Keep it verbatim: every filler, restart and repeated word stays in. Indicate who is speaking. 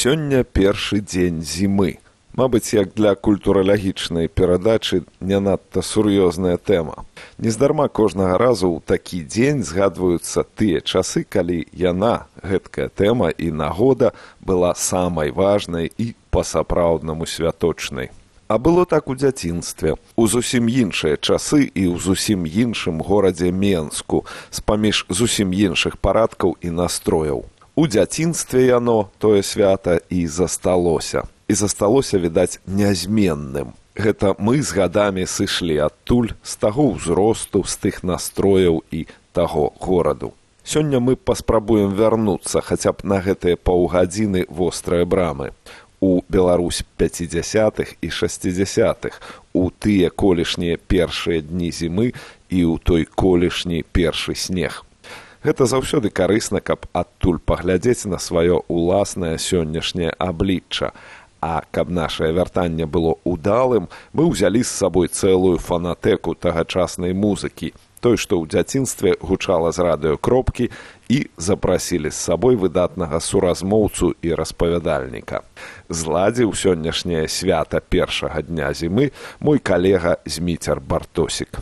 Speaker 1: Сёння першы дзень зімы. Мабыць, як для культуралагічнай перадачы не надта сур'ёзная тэма. Нездарма кожнага разу ў такі дзень згадваюцца тыя часы, калі яна, гэткая тэма і нагода, была самай важнай і па-сапраўднаму святочнай. А было так у дзяцінстве, у зусім іншыя часы і ў зусім іншым горадзе Менску, з-паміж зусім іншых парадкаў і настрояў. У дзяцінстве яно, тое свята, і засталося. І засталося, відаць, нязменным. Гэта мы з гадамі сышлі адтуль, з таго ўзросту, з тых настрояў і таго гораду. Сёння мы паспрабуем вярнуцца хаця б на гэтыя паўгадзіны вострыя брамы. У Беларусь пяцідзясятых і шасцідзясятых, у тыя колішнія першыя дні зімы і ў той колішні першы снег. Гэта заўсёды карысна, каб адтуль паглядзець на сваё ўласнае сённяшняе аблічча. А каб нашае вяртанне было ўдалым, мы ўзялі з сабой цэлую фанатэку тагачаснай музыкі, той, што ў дзяцінстве гучала з радыёкропкі, і запрасілі з сабой выдатнага суразмоўцу і распавядальніка. Зладзіў сённяшняе свята першага дня зімы мой калега Зміцер Бартосік.